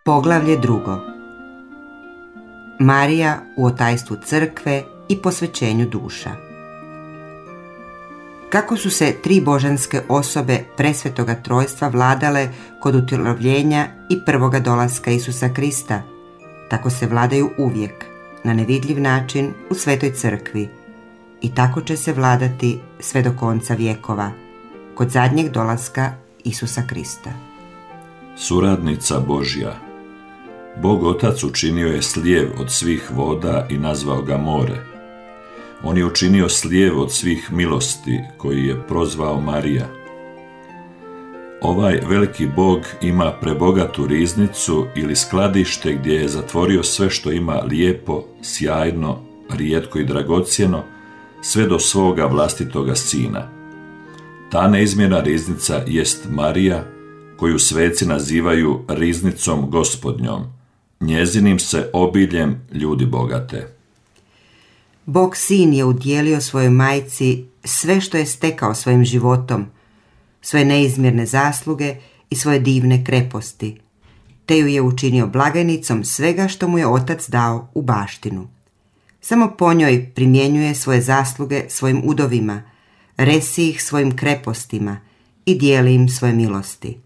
Poglavlje 2. Marija u otajstvu crkve i posvećenju duša. Kako su se tri božanske osobe presvetoga trojstva vladale kod utjelovljenja i prvoga dolaska Isusa Krista, tako se vladaju uvijek, na nevidljiv način u svetoj crkvi, i tako će se vladati sve do konca vjekova, kod zadnjeg dolaska Isusa Krista. Suradnica Božja. Bog Otac učinio je slijev od svih voda i nazvao ga more. On je učinio slijev od svih milosti, koji je prozvao Marija. Ovaj veliki Bog ima prebogatu riznicu ili skladište gdje je zatvorio sve što ima lijepo, sjajno, rijetko i dragocjeno, sve do svoga vlastitoga sina. Ta neizmjerna riznica jest Marija, koju sveci nazivaju riznicom Gospodnjom. Njezinim se obiljem ljudi bogate. Bog sin je udjelio svojoj majci sve što je stekao svojim životom, svoje neizmjerne zasluge i svoje divne kreposti, te ju je učinio blagajnicom svega što mu je Otac dao u baštinu. Samo po njoj primjenjuje svoje zasluge svojim udovima, resi ih svojim krepostima i dijeli im svoje milosti.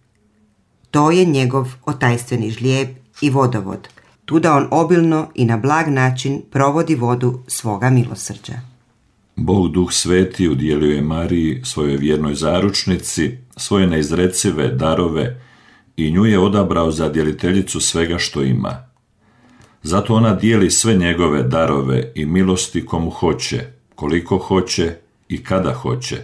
To je njegov otajstveni žlijeb i vodovod, tuda on obilno i na blag način provodi vodu svoga milosrđa. Bog Duh Sveti udjelio je Mariji, svojoj vjernoj zaručnici, svoje neizrecive darove i nju je odabrao za djeliteljicu svega što ima. Zato ona dijeli sve njegove darove i milosti komu hoće, koliko hoće i kada hoće.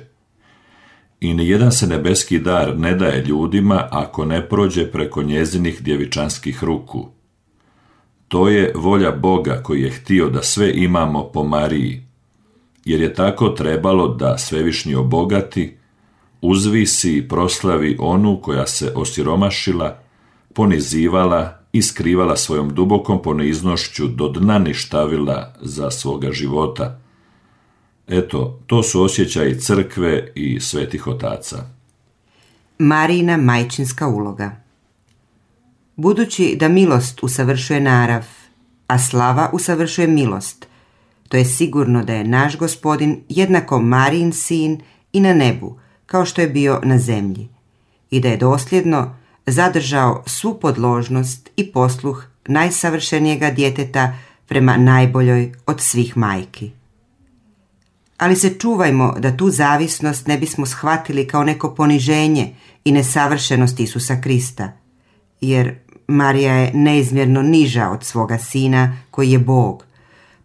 I nijedan se nebeski dar ne daje ljudima ako ne prođe preko njezinih djevičanskih ruku. To je volja Boga koji je htio da sve imamo po Mariji, jer je tako trebalo da Svevišnji obogati, uzvisi i proslavi onu koja se osiromašila, ponizivala i skrivala svojom dubokom poniznošću do dna ništavila za svoga života. Eto, to su osjećaji crkve i svetih otaca. Marijina majčinska uloga. Budući da milost usavršuje narav, a slava usavršuje milost, to je sigurno da je naš Gospodin jednako Marijin sin i na nebu, kao što je bio na zemlji, i da je dosljedno zadržao svu podložnost i posluh najsavršenijega djeteta prema najboljoj od svih majki. Ali se čuvajmo da tu zavisnost ne bismo shvatili kao neko poniženje i nesavršenost Isusa Krista, jer Marija je neizmjerno niža od svoga sina koji je Bog,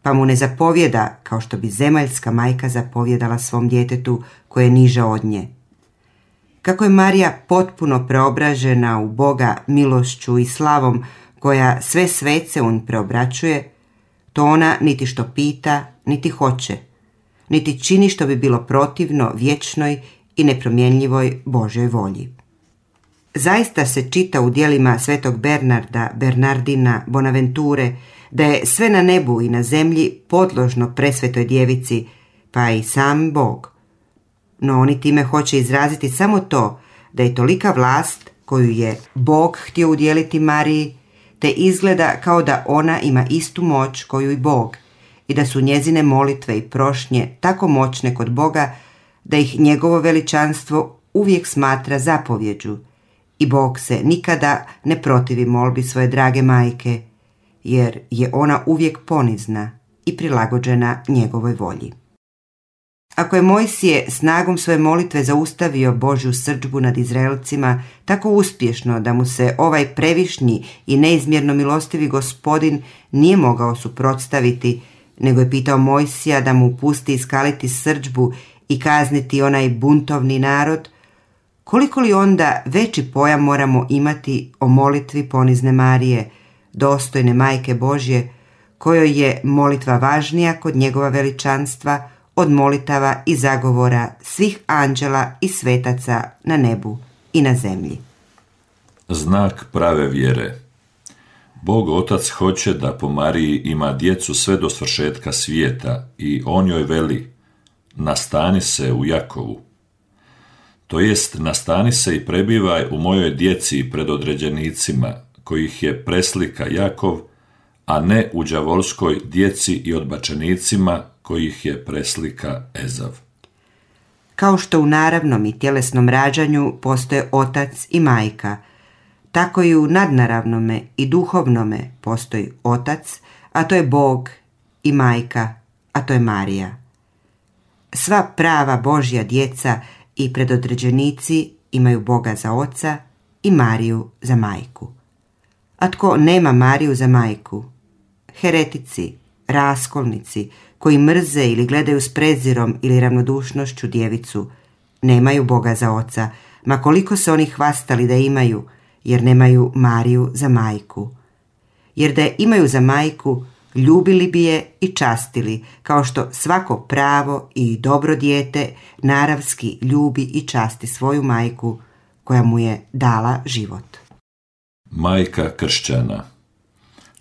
pa mu ne zapovjeda kao što bi zemaljska majka zapovjedala svom djetetu koje je niža od nje. Kako je Marija potpuno preobražena u Boga milošću i slavom koja sve svece on preobraćuje, to ona niti što pita, niti hoće, niti čini što bi bilo protivno vječnoj i nepromjenjivoj Božjoj volji. Zaista se čita u djelima svetog Bernarda, Bernardina, Bonaventure, da je sve na nebu i na zemlji podložno presvetoj djevici, pa i sam Bog. No oni time hoće izraziti samo to da je tolika vlast koju je Bog htio udjeliti Mariji, te izgleda kao da ona ima istu moć koju i Bog, i da su njezine molitve i prošnje tako moćne kod Boga da ih njegovo veličanstvo uvijek smatra zapovjeđu, i Bog se nikada ne protivi molbi svoje drage majke, jer je ona uvijek ponizna i prilagođena njegovoj volji. Ako je Mojsije snagom svoje molitve zaustavio Božju srdžbu nad Izraelcima tako uspješno da mu se ovaj previšnji i neizmjerno milostivi Gospodin nije mogao suprotstaviti, nego je pitao Mojsija da mu pusti iskaliti srdžbu i kazniti onaj buntovni narod, koliko li onda veći pojam moramo imati o molitvi ponizne Marije, dostojne Majke Božje, kojoj je molitva važnija kod njegova veličanstva od molitava i zagovora svih anđela i svetaca na nebu i na zemlji. Znak prave vjere. Bog Otac hoće da po Mariji ima djecu sve do svršetka svijeta i on joj veli: nastani se u Jakovu. To jest, nastani se i prebivaj u mojoj djeci i predodređenicima, kojih je preslika Jakov, a ne u đavolskoj djeci i odbačenicima kojih je preslika Ezav. Kao što u naravnom i tjelesnom rađanju postoje otac i majka, tako i u nadnaravnome i duhovnome postoji otac, a to je Bog, i majka, a to je Marija. Sva prava Božja djeca i predodređenici imaju Boga za oca i Mariju za majku. A tko nema Mariju za majku? Heretici, raskolnici, koji mrze ili gledaju s prezirom ili ravnodušnošću djevicu, nemaju Boga za oca, ma koliko se oni hvastali da imaju, jer nemaju Mariju za majku. Jer da je imaju za majku, ljubili bi je i častili, kao što svako pravo i dobro dijete naravski ljubi i časti svoju majku, koja mu je dala život. Majka kršćana.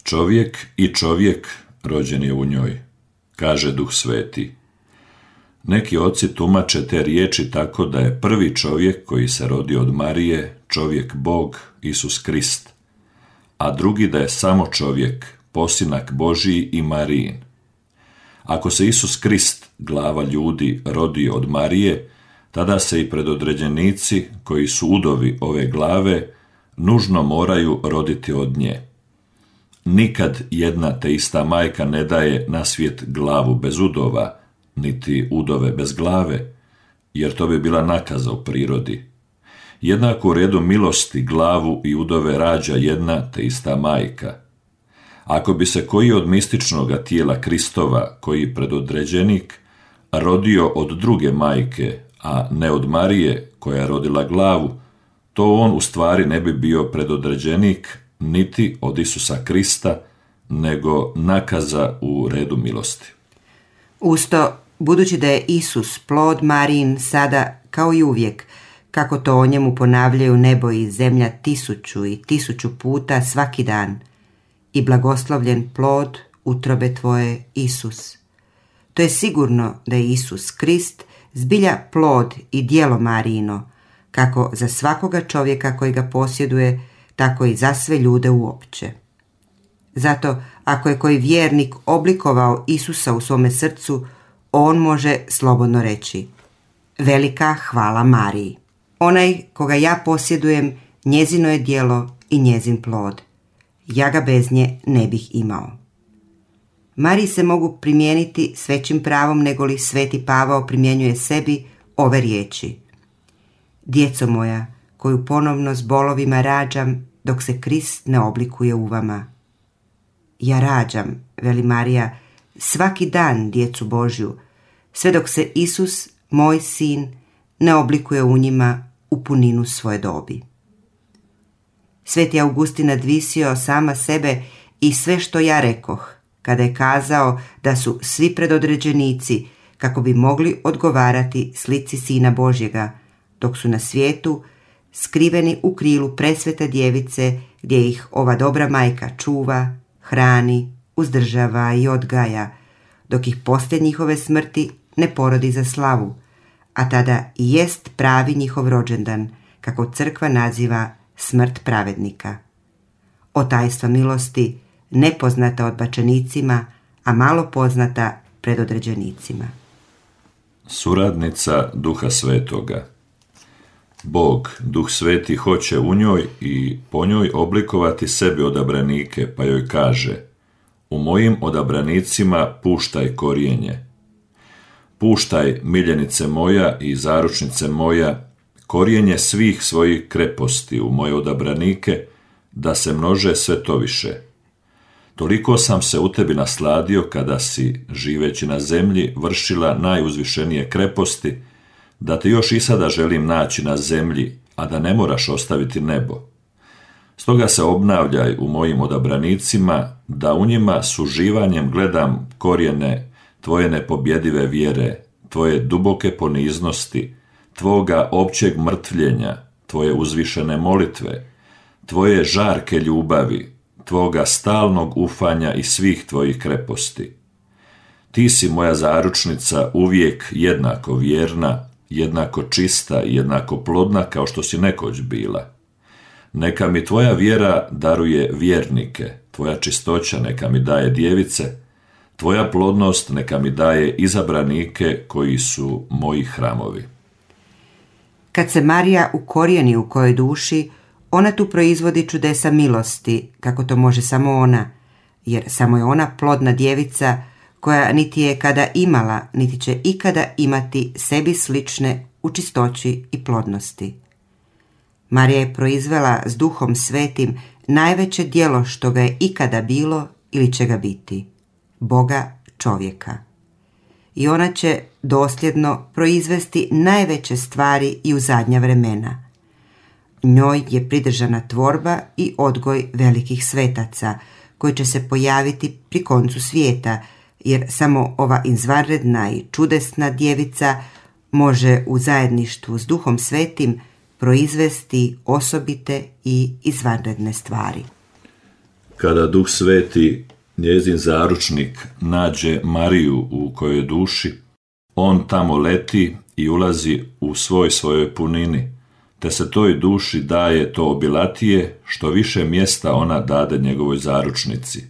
Čovjek i čovjek rođen je u njoj, kaže Duh Sveti. Neki oci tumače te riječi tako da je prvi čovjek koji se rodio od Marije čovjek Bog, Isus Krist, a drugi da je samo čovjek, posinak Božiji i Marijin. Ako se Isus Krist, glava ljudi, rodio od Marije, tada se i predodređenici, koji su udovi ove glave, nužno moraju roditi od nje. Nikad jedna te ista majka ne daje na svijet glavu bez udova, niti udove bez glave, jer to bi bila nakaza u prirodi. Jednako u redu milosti glavu i udove rađa jedna te ista majka. Ako bi se koji od mističnoga tijela Kristova, koji predodređenik, rodio od druge majke, a ne od Marije, koja je rodila glavu, to on u stvari ne bi bio predodređenik niti od Isusa Krista, nego nakaza u redu milosti. Usto, budući da je Isus plod Marijin sada kao i uvijek, kako to o njemu ponavljaju nebo i zemlja 1000 i 1000 puta svaki dan, i blagoslovljen plod utrobe tvoje, Isus. To je sigurno da je Isus Krist zbilja plod i djelo Marijino, kako za svakoga čovjeka koji ga posjeduje, tako i za sve ljude uopće. Zato, ako je koji vjernik oblikovao Isusa u svome srcu, on može slobodno reći: velika hvala Mariji. Onaj koga ja posjedujem, njezino je djelo i njezin plod. Ja ga bez nje ne bih imao. Mariji se mogu primijeniti s većim pravom nego li Sveti Pavao primjenjuje sebi ove riječi: djeco moja, koju ponovno s bolovima rađam, dok se Krist ne oblikuje u vama. Ja rađam, veli Marija, svaki dan djecu Božju, sve dok se Isus, moj sin, ne oblikuje u njima u puninu svoje dobi. Sveti Augustin nadvisio sama sebe i sve što ja rekoh, kada je kazao da su svi predodređenici kako bi mogli odgovarati slici Sina Božjega, dok su na svijetu skriveni u krilu presvete djevice, gdje ih ova dobra majka čuva, hrani, uzdržava i odgaja, dok ih poslije njihove smrti ne porodi za slavu, a tada i jest pravi njihov rođendan, kako crkva naziva smrt pravednika. O tajstva milosti, nepoznata odbačenicima, a malo poznata predodređenicima. Suradnica Duha Svetoga. Bog, Duh Sveti, hoće u njoj i po njoj oblikovati sebi odabranike, pa joj kaže: u mojim odabranicima puštaj korijenje. Puštaj, miljenice moja i zaručnice moja, korijenje svih svojih kreposti u moje odabranike, da se množe sve to više. Toliko sam se u tebi nasladio kada si, živeći na zemlji, vršila najuzvišenije kreposti, da te još i sada želim naći na zemlji, a da ne moraš ostaviti nebo. Stoga se obnavljaj u mojim odabranicima, da u njima s uživanjem gledam korijene tvoje nepobjedive vjere, tvoje duboke poniznosti, tvoga općeg mrtvljenja, tvoje uzvišene molitve, tvoje žarke ljubavi, tvoga stalnog ufanja i svih tvojih kreposti. Ti si moja zaručnica uvijek jednako vjerna, jednako čista i jednako plodna kao što si nekoć bila. Neka mi tvoja vjera daruje vjernike, tvoja čistoća neka mi daje djevice, tvoja plodnost neka mi daje izabranike koji su moji hramovi. Kad se Marija ukorijeni u kojoj duši, ona tu proizvodi čudesa milosti, kako to može samo ona, jer samo je ona plodna djevica koja niti je kada imala, niti će ikada imati sebi slične u čistoći i plodnosti. Marija je proizvela s Duhom Svetim najveće djelo što ga je ikada bilo ili će ga biti, Boga čovjeka. I ona će dosljedno proizvesti najveće stvari i u zadnja vremena. Njoj je pridržana tvorba i odgoj velikih svetaca, koji će se pojaviti pri koncu svijeta, jer samo ova izvanredna i čudesna djevica može u zajedništvu s Duhom Svetim proizvesti osobite i izvanredne stvari. Kada Duh Sveti, njezin zaručnik, nađe Mariju u kojoj duši, on tamo leti i ulazi u svojoj punini, te se toj duši daje to obilatije, što više mjesta ona dade njegovoj zaručnici.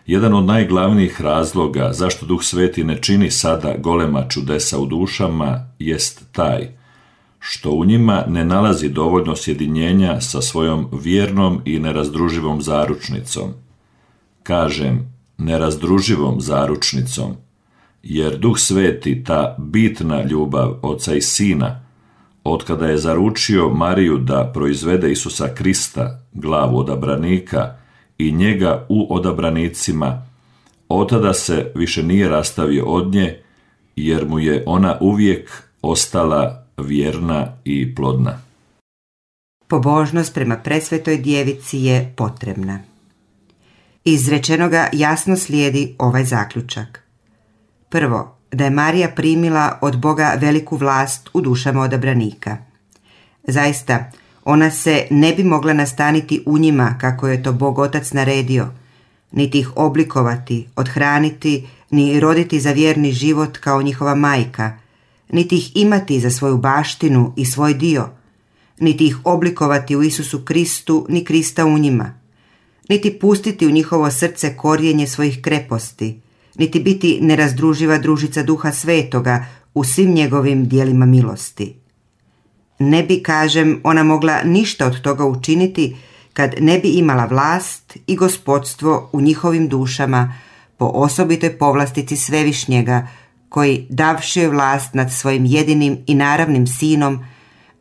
Jedan od najglavnijih razloga zašto Duh Sveti ne čini sada golema čudesa u dušama jest taj, što u njima ne nalazi dovoljno sjedinjenja sa svojom vjernom i nerazdruživom zaručnicom. Kažem, nerazdruživom zaručnicom, jer Duh Sveti, ta bitna ljubav Oca i Sina, otkada je zaručio Mariju da proizvede Isusa Krista, glavu odabranika, i njega u odabranicima, otada se više nije rastavio od nje, jer mu je ona uvijek ostala vjerna i plodna. Pobožnost prema presvetoj djevici je potrebna. Iz rečenoga jasno slijedi ovaj zaključak. Prvo, da je Marija primila od Boga veliku vlast u dušama odabranika. Zaista, ona se ne bi mogla nastaniti u njima kako je to Bog Otac naredio, niti ih oblikovati, othraniti, ni roditi za vjerni život kao njihova majka, niti ih imati za svoju baštinu i svoj dio, niti ih oblikovati u Isusu Kristu, ni Krista u njima, niti pustiti u njihovo srce korijenje svojih kreposti, niti biti nerazdruživa družica Duha Svetoga u svim njegovim dijelima milosti. Ne bi, kažem, ona mogla ništa od toga učiniti kad ne bi imala vlast i gospodstvo u njihovim dušama po osobitoj povlastici Svevišnjega, koji, davši joj vlast nad svojim jedinim i naravnim sinom,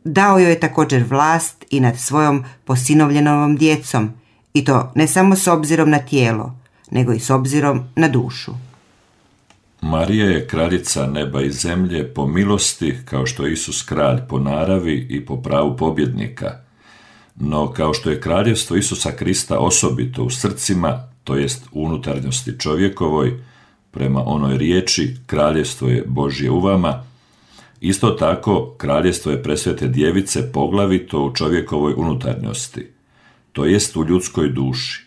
dao joj je također vlast i nad svojom posinovljenom djecom, i to ne samo s obzirom na tijelo, nego i s obzirom na dušu. Marija je kraljica neba i zemlje po milosti, kao što je Isus kralj po naravi i po pravu pobjednika. No kao što je kraljevstvo Isusa Krista osobito u srcima, to jest u unutarnjosti čovjekovoj, prema onoj riječi kraljevstvo je Božje u vama, isto tako kraljevstvo je presvete djevice poglavito u čovjekovoj unutarnjosti, to jest u ljudskoj duši.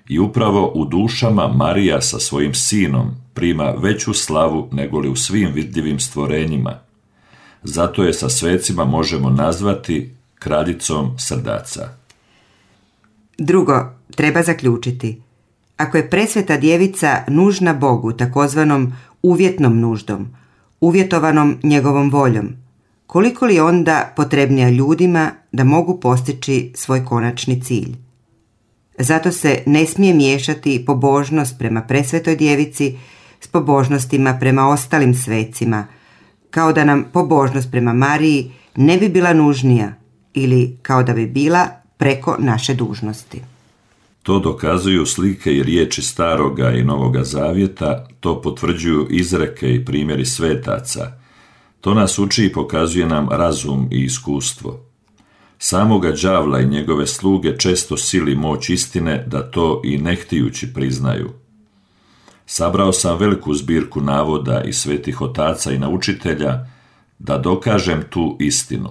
I upravo u dušama Marija sa svojim sinom prima veću slavu nego li u svim vidljivim stvorenjima. Zato je sa svecima možemo nazvati kraljicom srdaca. Drugo, treba zaključiti. Ako je presveta djevica nužna Bogu takozvanom uvjetnom nuždom, uvjetovanom njegovom voljom, koliko li onda potrebnija ljudima da mogu postići svoj konačni cilj? Zato se ne smije miješati pobožnost prema presvetoj djevici s pobožnostima prema ostalim svecima, kao da nam pobožnost prema Mariji ne bi bila nužnija ili kao da bi bila preko naše dužnosti. To dokazuju slike i riječi Staroga i Novoga Zavjeta, to potvrđuju izreke i primjeri svetaca. To nas uči i pokazuje nam razum i iskustvo. Samoga đavla i njegove sluge često sili moć istine da to i ne htijući priznaju. Sabrao sam veliku zbirku navoda i svetih otaca i naučitelja da dokažem tu istinu.